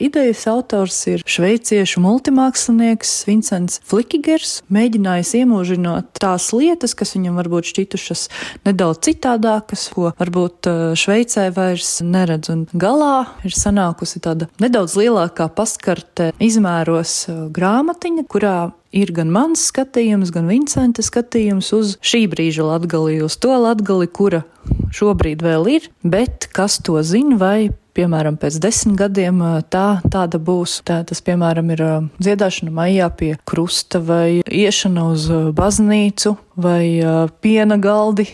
Idejas autors ir šveiciešu multimākslinieks Vincents Flikigers, mēģinājis iemūžinot tās lietas, kas viņam varbūt šķitušas nedaudz citādākas, ko varbūt Šveicē vairs neredz. Un galā ir sanākusi tāda nedaudz lielākā paskarte izmēros grāmatiņa, kurā ir gan mans skatījums, gan Vincenta skatījums uz šī brīža Latgali, uz to Latgali, kura šobrīd vēl ir, bet kas to zina, vai piemēram, pēc 10 gadiem tāda būs. Tas, piemēram, ir dziedāšana maijā pie krusta vai iešana uz baznīcu vai piena galdi